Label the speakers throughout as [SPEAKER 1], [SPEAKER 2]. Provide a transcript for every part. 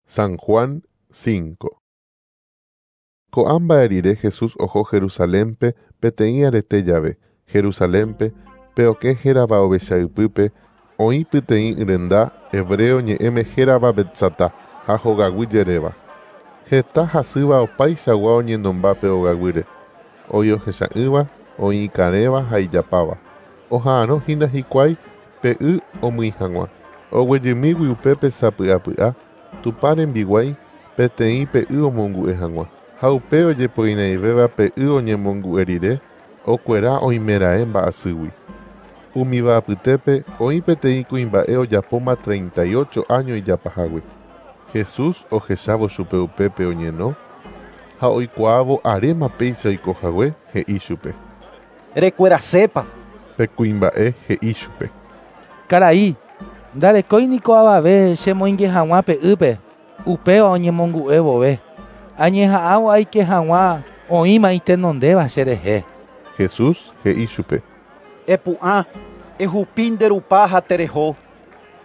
[SPEAKER 1] San Juan 5. Ko'ã mba'e rire Jesús oho Jerusalénpe peteĩ arete jave. Jerusalénpe pe okẽ hérava ovecha ypýpe oĩ peteĩ yrenda hebreo ñe'ẽme hérava Betzatá ha hogaguy jeréva. Heta hasýva opaichagua oñenomba pe ogaguýre. Oĩ ohecha'ỹva, oĩ ikarẽva ha ijapáva. Oha'arõ hína hikuái pe y omýi hag̃ua. Oguejymígui upépe sapy'apy'a Tupã rembiguái peteĩ pe y omongu'e hag̃ua. Ha upe ojepoinaivéva pe y oñemongu'e rire okuera oimeraẽ mba'asýgui. Umíva apytépe oĩ peteĩ kuimba'e ojapóma 38 áño ijapahágui. Jesús ohechávo chupe upépe oñeno ha oikuaávo aréma péicha oikohague he'i chupe.
[SPEAKER 2] Rekuerasépa.
[SPEAKER 1] Pe kuimba'e he'i chupe.
[SPEAKER 3] Karai, ndarekói niko avave chemoinge hag̃ua pe ýpe, upéva oñemongu'e vove. Añeha'ãvo aike hag̃ua oĩma itenondéva cherehe.
[SPEAKER 1] Jesús he'i chupe.
[SPEAKER 2] Epu'ã, ehupi nde rupa ha tereho.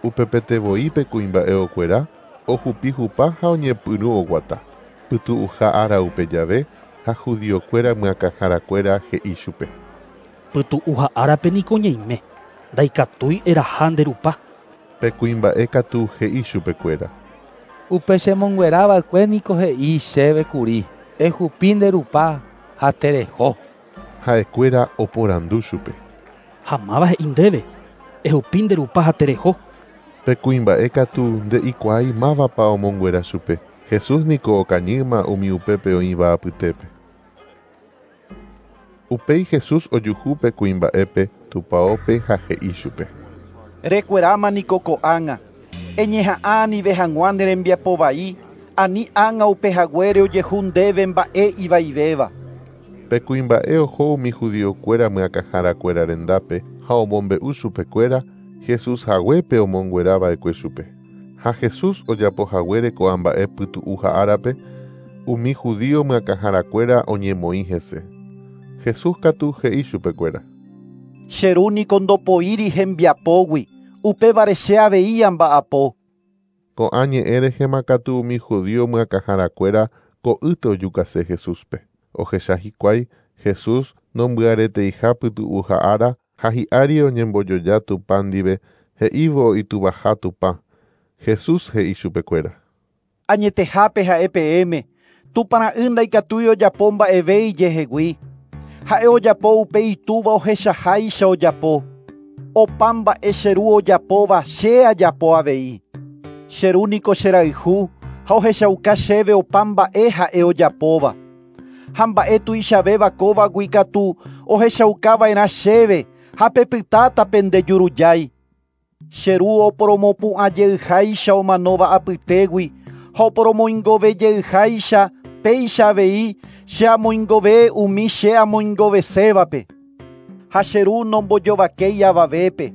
[SPEAKER 1] Upepete voi pe kuimba'e okuera, ohupi hupa ha oñepyrũ oguata. Pytu'uha ára upe jave ha judiokuéra myakãharakuéra he'i chupe.
[SPEAKER 4] Pytu'uha árape niko ñaime, ndaikatúi eraha nde rupa.
[SPEAKER 1] Pe kuimba'e katu he'i chupekuéra.
[SPEAKER 3] Upe chemonguerava'ekue niko he'i chéve kuri, ehupi nde rupa ha tereho.
[SPEAKER 1] Ha'ekuéra oporandu chupe.
[SPEAKER 4] Ha máva he'i ndéve, ehupi nde rupa ha tereho.
[SPEAKER 1] Pe kuimba'e katu nde'ikuaái mávapa omonguera chupe. Jesús niko okañýma umi upépe oĩva apytépe. Upéi Jesús ojuhu pe kuimba'épe tupãópe ha he'i chupe.
[SPEAKER 2] Rekueráma niko ko'ág̃a. Eñeha'ã anive hag̃ua ne rembiapo vai, ani ág̃a upehaguére ojehu ndéve mba'e ivaivéva.
[SPEAKER 1] Pe kuimba'e oho umi judiokuéra myakãharakuéra rendápe ha omombe'u chupekuéra Jesús haguépe omonguerava'ekue chupe. Ha Jesús ojapohaguére ko'ã mba'e pytu'uha árape, umi judío myakãharakuéra oñemoĩ hese. Jesús katu he'i chupekuéra.
[SPEAKER 2] Che ru niko ndopoíri hembiapógui, upévare che avei amba'apo.
[SPEAKER 1] Ko'ã ñe'ẽ rehema katu umi judío myakãharakuéra ko'ýte ojukase Jesúspe. Ohecha hikuái Jesús nombyareteiha pytu'uha ára ha hi'ári oñembojoja Tupã ndive he'ívo ituvaha Tupã. Jesús he'i chupekuéra.
[SPEAKER 2] Añetehápe ha'e peẽme, Tupãra'y ndaikatúi ojapo mba'eve ijehegui. Ha'e ojapo upe itúva ohechaháicha ojapo. Opa mba'e che ru ojapóva che ajapo avei. Che ru niko cherayhu ha ohechauka chéve opa mba'e ha'e ojapóva. Ha mba'e tuichavéva kóvagui katu ohechaukava'erã chéve ha pepytáta pendejurujái. Che ru oporomopu'ãjeyháicha omanóva apytégui ha oporomoingovejeyháicha péicha avei che amoingove umi che amoingovesévape. Ha che ru nombojovakéi avavépe.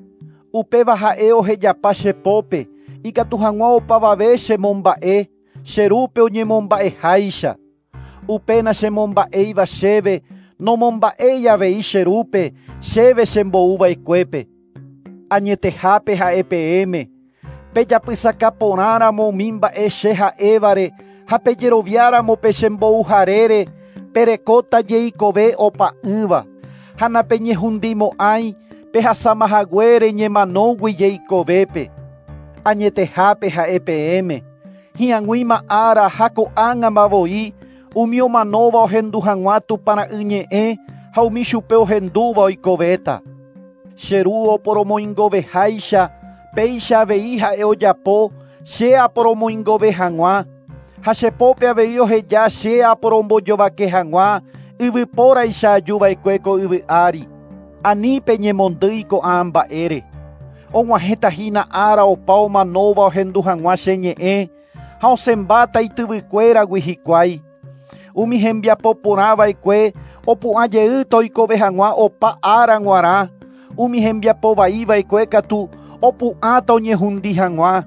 [SPEAKER 2] Upéva ha'e ohejapa che pópe, ikatu hag̃ua opavave chemomba'e, che rúpe oñemomba'eháicha. Upéna chemomba'éiva chéve, nomomba'éi avei che rúpe, chéve chembo'uva'ekuépe. Añetehápe ha'e peẽme, pejapysakaporãramo umi mba'e che ha'évare ha pejeroviáramo pe chembouharére, perekóta jeikove opa'ỹva. Ha napeñehundimo'ãi pehasamahaguére ñemanógui jeikovépe. Añetehápe ha'e peẽme, hi'ag̃uíma ára ha ko'ág̃ama voi umi omanóva ohendu hag̃ua Tupãra'y ñe'ẽ ha umi chupe ohendúva oikovéta. Che ru oporomoingoveháicha, péicha avei ha'e ojapo che aporomoingove hag̃ua. Ha che pópe avei oheja che aporombojovake hag̃ua yvypóraicha ajuva'ekue ko yvy ári. Ani peñemondýi ko'ã mba'ére. Og̃uahẽtahína ára opa omanóva ohendu hag̃ua che ñe'ẽ ha osẽmbáta ityvykuéragui hikuái. Umi hembiapo porãva'ekue opu'ãjeýta oikove hag̃ua opa ára g̃uarã. Umi hembiapo vaiva'ekue katu opu'ãta oñehundi hag̃ua.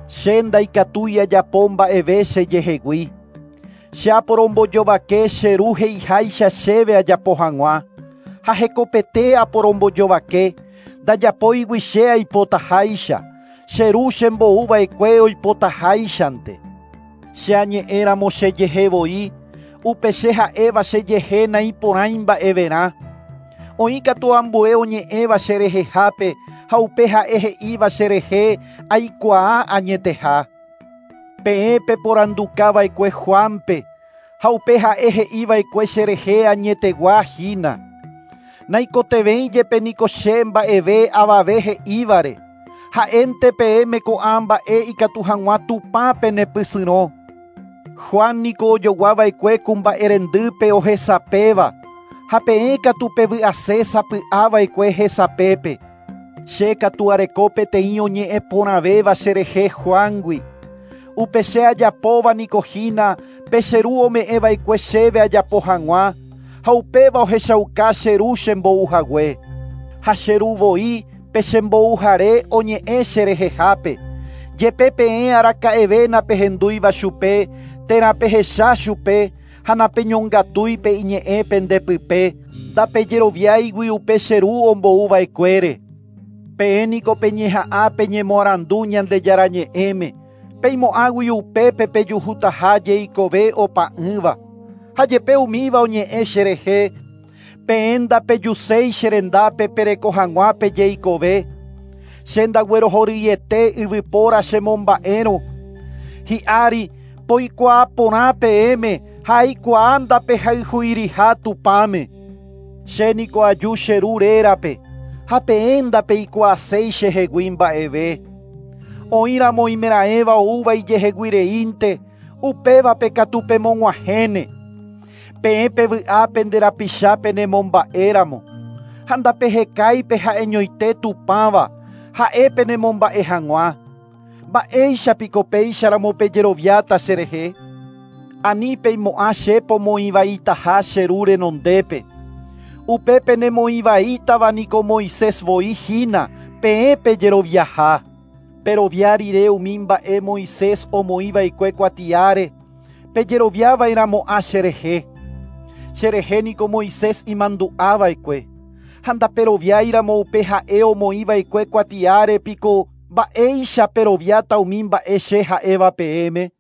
[SPEAKER 2] Che ndaikatúi ajapo mba'eve chejehegui. Che aporombojovake che ru he'iháicha chéve ajapo hag̃ua. Ha hekopete aporombojovake, ndajapóigui che aipotaháicha. Che Ru chembouva'ekue oipotaháichante. Che añe'ẽramo chejehe voi, upe che ha'éva chejehe naiporãi mba'everã. Oĩkatu ambue oñe'ẽva cherehehápe ha upe ha'e he'íva cherehe aikuaa añeteha. Peẽ peporandukava'ekue Juanpe ha upe ha'e he'iva'ekue cherehe añetegua hína. Naikotevẽi jepe niko che mba'eve avave he'ívare. Ha'énte peẽme ko'ã mba'e ikatu hag̃ua Tupã penepysyrõ. Juan niko ojoguava'ekue ku mba'erendýpe ohesapéva ha peẽ katu pevy'ase sapy'ava'ekue hesapépe. Che katu areko peteĩ oñe'ẽ porãvéva cherehe Juangui. Upe che ajapóva niko hína pe che ru ome'ẽva'ekue chéve ajapo hag̃ua ha upéva ohechauka che ru chembouhague. Ha che ru voi pe chembouhare oñe'ẽ cherehehápe. Jepe peẽ araka'eve napehendúiva chupe térã pehecha chupe ha napeñongatúi pe iñe'ẽ pendepype ndapejeroviáigui upe che ru ombouva'ekuére. Peẽ niko peñeha'ã peñemoarandu Ñandejára ñe'ẽme peimo'ãgui upépe pejuhutaha jeikove opa'ỹva. Ha jepe umíva oñe'ẽ cherehe peẽ ndapejuséi cherendápe pereko hag̃ua pejeikove. Che ndaguerohoryiete yvypóra chemomba'érõ. Hi'ári poikuaa porã peẽme ha aikuaa ndapehayhuiriha Tupãme. Che niko aju che ru rérape ha peẽ ndapeikuaaséi chehegui mba'eve. Oĩramo oimeraẽva oúva ijeheguireínte upévape katu pemog̃uahẽne. Peẽ pevy'a pende rapicha penemomba'éramo ha ndapehekái ha'eñoite Tupãva ha'e penemomba'e hag̃ua. Mba'éichapiko péicharamo pejeroviáta cherehe. Ani peimo'ã che pomoĩvaitaha che ru renondépe. Upe penemoĩvaítava niko Moisés voi hína peẽ pejeroviaha. Perovia rire umi mba'e Moisés omoĩva'ekue kuatiáre pejeroviava'erãmo'ã cherehe. Cherehe niko Moisés imandu'ava'ekue. Ha ndaperoviáiramo upe ha'e omoĩva'ekue kuatiáre piko mba'éicha peroviáta umi mba'e che ha'éva peẽme.